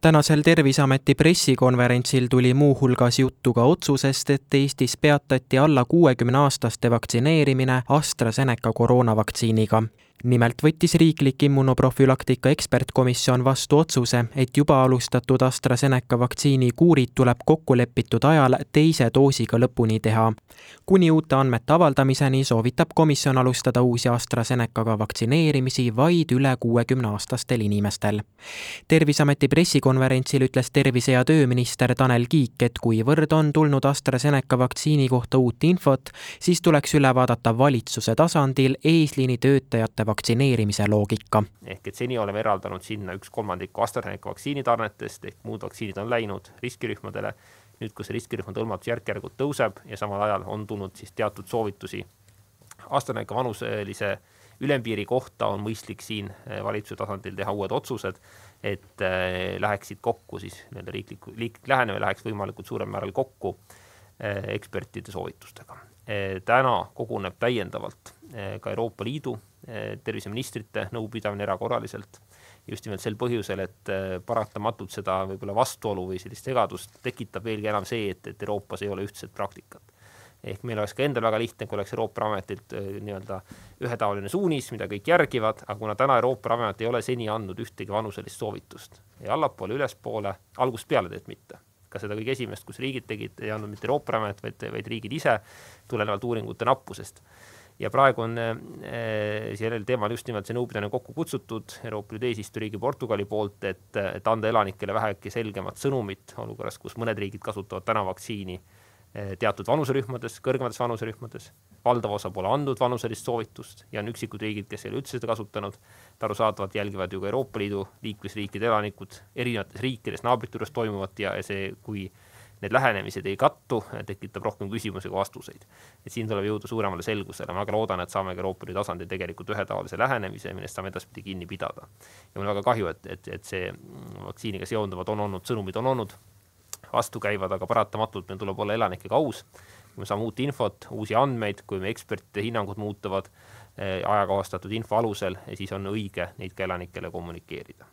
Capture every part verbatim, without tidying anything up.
Tänasel Terviseameti pressikonverentsil tuli muu hulgas juttu ka otsusest, et Eestis peatati alla kuuekümne-aastaste vaktsineerimine AstraZeneca koroonavaktsiiniga. Nimelt võttis riiklik immunoprofülaktika ekspertkomisjon vastu otsuse, et juba alustatud AstraZeneca vaktsiini kuurid tuleb kokkulepitud ajal teise doosiga lõpuni teha. Kuni uute andmete avaldamiseni soovitab komisjon alustada uusi AstraZenecaga vaktsineerimisi vaid üle kuuekümne-aastastel inimestel. Terviseameti pressikonverentsil ütles tervise- ja tööminister Tanel Kiik, et kuivõrd on tulnud AstraZeneca vaktsiini kohta uut infot, siis tuleks üle vaadata valitsuse tasandil eesliini töötajate vaktsineerimise loogika. Ehk et seni oleme eraldanud sinna üks kolmandiku AstraZeneca vaktsiinitarnetest, ehk muud vaktsiinid on läinud riskirühmadele. Nüüd, kus riskirühmade hõlmatus järk-järgult tõuseb ja samal ajal on tulnud siis teatud soovitusi AstraZeneca vanuselise ülempiiri kohta, on mõistlik siin valitsuse tasandil teha uued otsused, et läheksid kokku siis riiklik, riiklik lähenemine läheks võimalikult suurel määral kokku ekspertide soovitustega. Täna koguneb täiendavalt ka Euroopa Liidu terviseministrite nõupidamine erakorraliselt just nimelt sel põhjusel, et paratamatult seda võib-olla vastuolu või sellist segadust tekitab veelgi enam see, et, et Euroopas ei ole ühtset praktikat. Ehk meil oleks ka endal väga lihtne, kui oleks Euroopa Ametilt nii-öelda ühetaoline suunis, mida kõik järgivad, aga kuna täna Euroopa Amet ei ole seni andnud ühtegi vanuselist soovitust ja allapoole, ülespoole, algusest peale teed mitte. Ka seda kõige esimest, kus riigid tegid, ei andnud mitte Euroopa Amet, vaid, vaid riigid ise tulenevalt uuringute nappusest. Ja praegu on eh, sellel teemal just nimelt see nõupidamine kokku kutsutud Euroopa Liidu eesistujariigi Portugali poolt, et, et anda elanikele vähegi selgemat sõnumit olukorras, kus mõned riigid kasutavad täna vaktsiini eh, teatud vanuserühmades, kõrgemates vanuserühmades. Valdav osa pole andnud vanuselist soovitust ja on üksikud riigid, kes ei ole üldse seda kasutanud. Tarusaadavalt jälgivad ju ka Euroopa Liidu liikmesriikide elanikud erinevates riikides naabrite juures toimuvat ja see, kui need lähenemised ei kattu, tekitab rohkem küsimusi kui vastuseid. Et siin tuleb jõuda suuremale selgusele. Ma väga loodan, et saame ka Euroopa Liidu tasandil tegelikult ühetaolise lähenemise, millest saame edaspidi kinni pidada. Ja mul on väga kahju, et, et, et see vaktsiiniga seonduvad on olnud, sõnumid on olnud vastukäivad, aga paratamatult meil tuleb olla elanikega aus. Kui me saame uut infot, uusi andmeid, kui me ekspertide hinnangud muutuvad ajakohastatud info alusel, siis on õige neid ka elanikele kommunikeerida.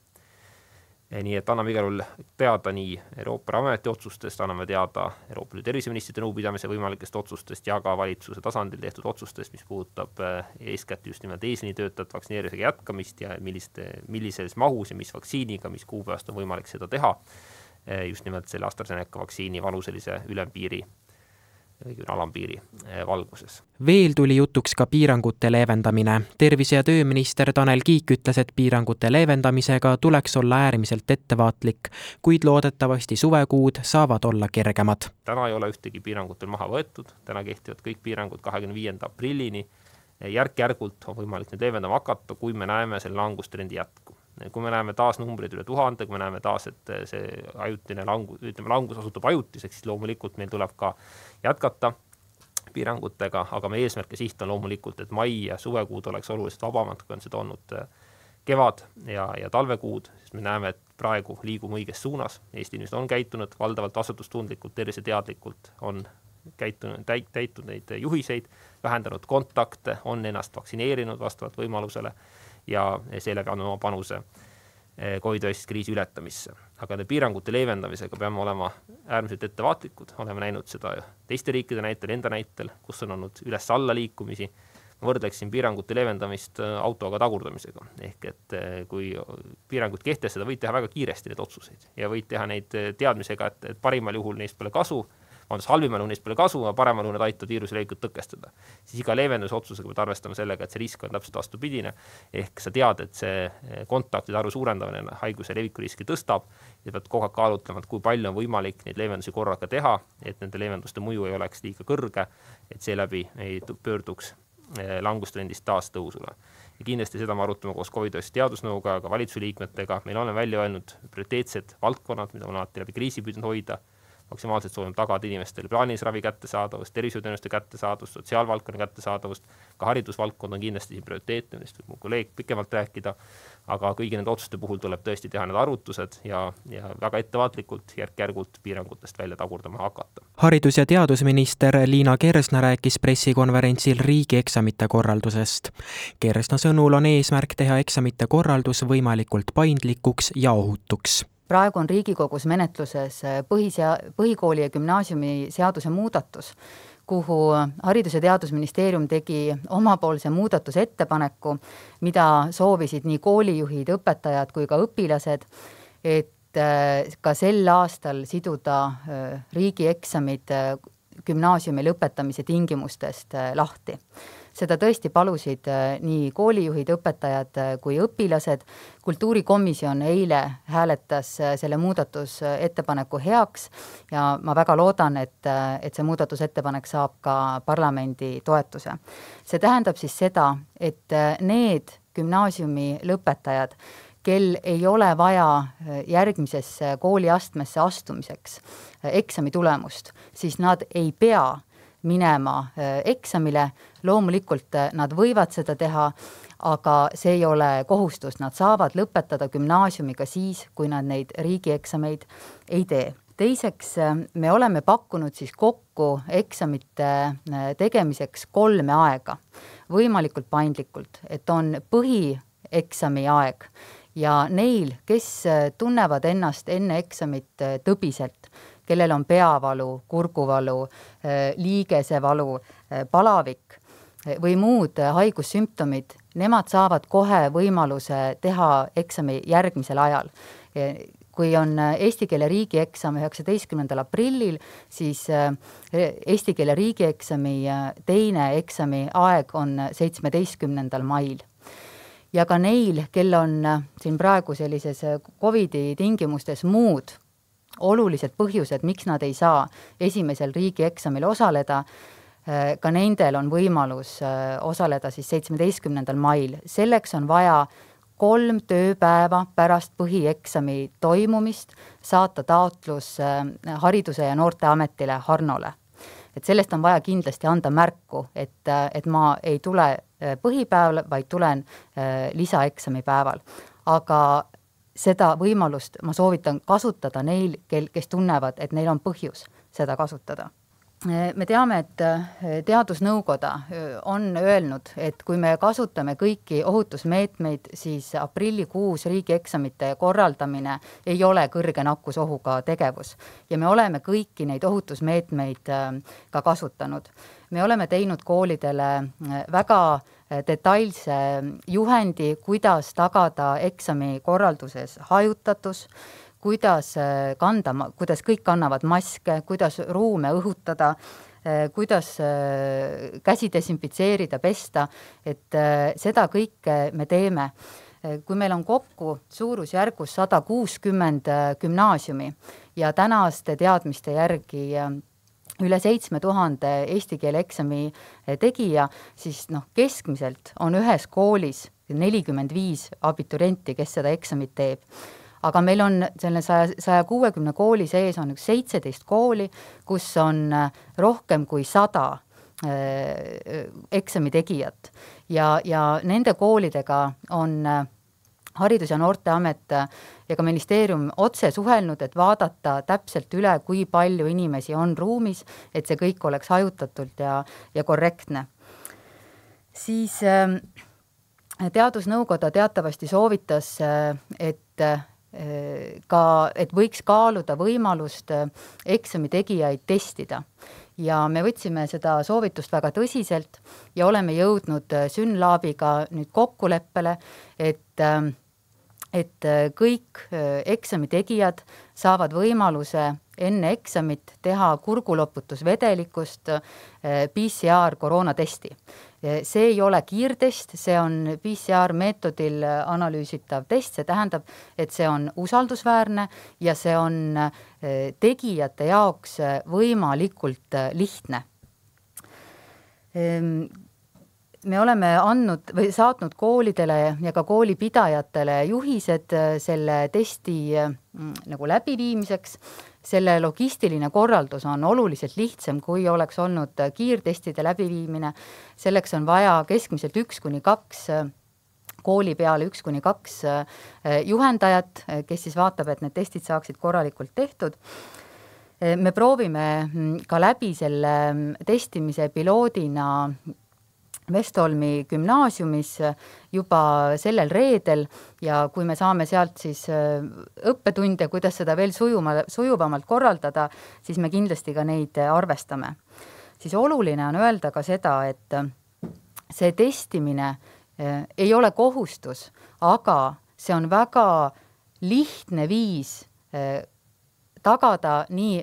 Nii et anname igal juhul teada nii Euroopa Ameti otsustest, anname teada Euroopa Liidu terviseministrite nõupidamise võimalikest otsustest ja ka valitsuse tasandil tehtud otsustest, mis puudutab eeskätt just nimelt eesliini töötajate vaktsineerimisega jätkamist ja millist, millises mahus ja mis vaktsiiniga, mis kuupäevast on võimalik seda teha just nimelt selle AstraZeneca vaktsiini vanuselise ülempiiri alampiiri valguses. Veel tuli jutuks ka piirangute leevendamine. Tervise- ja tööminister Tanel Kiik ütles, et piirangute leevendamisega tuleks olla äärmiselt ettevaatlik, kuid loodetavasti suvekuud saavad olla kergemad. Täna ei ole ühtegi piirangutel maha võetud, täna kehtivad kõik piirangud kahekümne viienda aprillini. Järk-järgult on võimalik need leevendama hakata, kui me näeme selle langustrendi jätku. Kui me näeme taas numbrid üle tuhande, kui me näeme taas, et see ajutine langus, ütleme, langus osutub ajutiseks, siis loomulikult meil tuleb ka jätkata piirangutega, aga meie eesmärk ja siht on loomulikult, et mai ja suvekuud oleks oluliselt vabamad, kui on seda olnud kevad ja, ja talvekuud, sest me näeme, et praegu liigume õiges suunas. Eesti inimesed on käitunud valdavalt vastutustundlikult, terviseteadlikult, on käitunud, täitud neid juhiseid, vähendanud kontakte, on ennast vaktsineerinud vastavalt võimalusele ja seeläbi andma oma panuse COVID-19 kriisi ületamisse. Aga nende piirangute leevendamisega peame olema äärmiselt ettevaatlikud. Oleme näinud seda teiste riikide näitel, enda näitel, kus on olnud üles-alla liikumisi. Ma võrdleksin piirangute leevendamist autoga tagurdamisega. Ehk et kui piirangud kehtestada, võid teha väga kiiresti need otsuseid ja võid teha neid teadmisega, et, et parimal juhul neist pole kasu, on halvimal juhul neist pole kasu, aga paremal juhul need aitavad viiruse levikut tõkestada. Siis iga leevenduse otsusega pead arvestama sellega, et see risk on täpselt vastupidine. Ehk sa tead, et see kontaktide arvu suurendamine haiguse leviku riski tõstab ja pead kogu aeg kaalutlema, et kui palju on võimalik neid leevendusi korraga teha, et nende leevenduste mõju ei oleks liiga kõrge, et seeläbi ei pöörduks langustrendist taas tõusule. Ja kindlasti seda me arutame koos COVID-19 teadusnõuga, ka valitsuse liikmetega. Meil on välja öelnud prioriteetsed valdkonnad, mida on alati läbi kriisi püüdnud hoida. Maksimaalselt soovime tagada inimestele plaanilise ravi kättesaadavust, tervishoiuteenuste kättesaadavust, sotsiaalvaldkonna kättesaadavust, ka haridusvaldkond on kindlasti siin prioriteetne, millest võib mu kolleeg pikemalt rääkida, aga kõigi nende otsuste puhul tuleb tõesti teha need arvutused ja, ja väga ettevaatlikult järk-järgult piirangutest välja tagurdama hakata. Haridus- ja teadusminister Liina Kersna rääkis pressikonverentsil riigieksamite korraldusest. Kersna sõnul on eesmärk teha eksamite korraldus võimalikult paindlikuks ja ohutuks. praegu on Riigikogus menetluses põhisea-, põhikooli ja gümnaasiumi seaduse muudatus, kuhu Haridus- ja Teadusministeerium tegi omapoolse muudatusettepaneku, mida soovisid nii koolijuhid, õpetajad kui ka õpilased, et ka sel aastal siduda riigieksamid gümnaasiumi lõpetamise tingimustest lahti. Seda tõesti palusid nii koolijuhid, õpetajad kui õpilased. Kultuurikomisjon eile hääletas selle muudatusettepaneku heaks ja ma väga loodan, et, et see muudatusettepanek saab ka parlamendi toetuse. See tähendab siis seda, et need gümnaasiumi lõpetajad, kel ei ole vaja järgmisesse kooliastmesse astumiseks eksami tulemust, siis nad ei pea minema eksamile. Loomulikult nad võivad seda teha, aga see ei ole kohustus. Nad saavad lõpetada gümnaasiumiga siis, kui nad neid riigieksameid ei tee. Teiseks, me oleme pakkunud siis kokku eksamite tegemiseks kolme aega, võimalikult paindlikult, et on põhieksami aeg ja neil, kes tunnevad ennast enne eksamit tõbiselt, kellel on peavalu, kurguvalu, liigesevalu, palavik või muud haigussümptomid, nemad saavad kohe võimaluse teha eksami järgmisel ajal. Kui on eesti keele riigieksam üheksateistkümnendal aprillil, siis eesti keele riigieksami teine eksami aeg on seitsmeteistkümnendal mail. Ja ka neil, kel on siin praegu sellises Covidi tingimustes muud olulised põhjused, miks nad ei saa esimesel riigieksamil osaleda, ka nendel on võimalus osaleda siis seitsmeteistkümnendal mail. Selleks on vaja kolm tööpäeva pärast põhieksami toimumist saata taotlus Hariduse ja Noorteametile Harnole. Et sellest on vaja kindlasti anda märku, et, et ma ei tule põhipäeval, vaid tulen lisaeksami päeval. Aga seda võimalust ma soovitan kasutada neil, kes tunnevad, et neil on põhjus seda kasutada. Me teame, et teadusnõukoda on öelnud, et kui me kasutame kõiki ohutusmeetmeid, siis aprillikuus riigieksamite korraldamine ei ole kõrge nakkusohuga tegevus. Ja me oleme kõiki neid ohutusmeetmeid ka kasutanud. Me oleme teinud koolidele väga detailse juhendi, kuidas tagada eksami korralduses hajutatus, kuidas kanda, kuidas kõik kannavad maske, kuidas ruume õhutada, kuidas käsi desinfitseerida, pesta, et seda kõike me teeme. Kui meil on kokku suurusjärgus sada kuuskümmend gümnaasiumi ja tänaste teadmiste järgi üle seitsme tuhande eesti keele eksami tegija, siis noh, keskmiselt on ühes koolis nelikümmend viis abiturienti, kes seda eksamit teeb. Aga meil on selle saja kuuekümne kooli sees on üks seitseteist kooli, kus on rohkem kui sada eksami tegijat. Ja, ja nende koolidega on Haridus- ja Noorteamet ja ka ministeerium otse suhelnud, et vaadata täpselt üle, kui palju inimesi on ruumis, et see kõik oleks hajutatult ja, ja korrektne. Siis teadusnõukoda teatavasti soovitas, et ka, et võiks kaaluda võimalust eksami tegijaid testida. Ja me võtsime seda soovitust väga tõsiselt ja oleme jõudnud Synlabiga nüüd kokkuleppele, et, et kõik eksami tegijad saavad võimaluse enne eksamit teha kurguloputusvedelikust P C R koroonatesti. See ei ole kiirtest, see on P C R meetodil analüüsitav test, see tähendab, et see on usaldusväärne ja see on tegijate jaoks võimalikult lihtne. Me oleme andnud või saatnud koolidele ja ka koolipidajatele juhised selle testi nagu läbiviimiseks. Selle logistiline korraldus on oluliselt lihtsam, kui oleks olnud kiirtestide läbiviimine. Selleks on vaja keskmiselt üks kuni kaks kooli peale üks kuni kaks juhendajat, kes siis vaatab, et need testid saaksid korralikult tehtud. Me proovime ka läbi selle testimise piloodina Vestholmi gümnaasiumis juba sellel reedel ja kui me saame sealt siis õppetunde, kuidas seda veel sujuma, sujuvamalt korraldada, siis me kindlasti ka neid arvestame. Siis oluline on öelda ka seda, et see testimine ei ole kohustus, aga see on väga lihtne viis tagada nii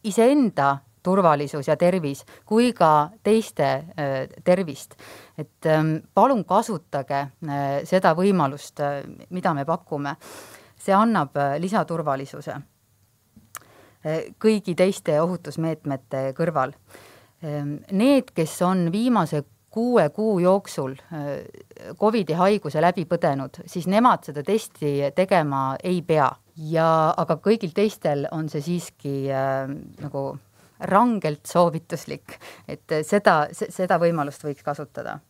iseenda turvalisus ja tervis, kui ka teiste tervist. Et palun kasutage seda võimalust, mida me pakume. See annab lisaturvalisuse kõigi teiste ohutusmeetmete kõrval. Need, kes on viimase kuue kuu jooksul COVID-i haiguse läbi põdenud, siis nemad seda testi tegema ei pea. Ja, aga kõigil teistel on see siiski äh, nagu rangelt soovituslik, et seda, seda võimalust võiks kasutada.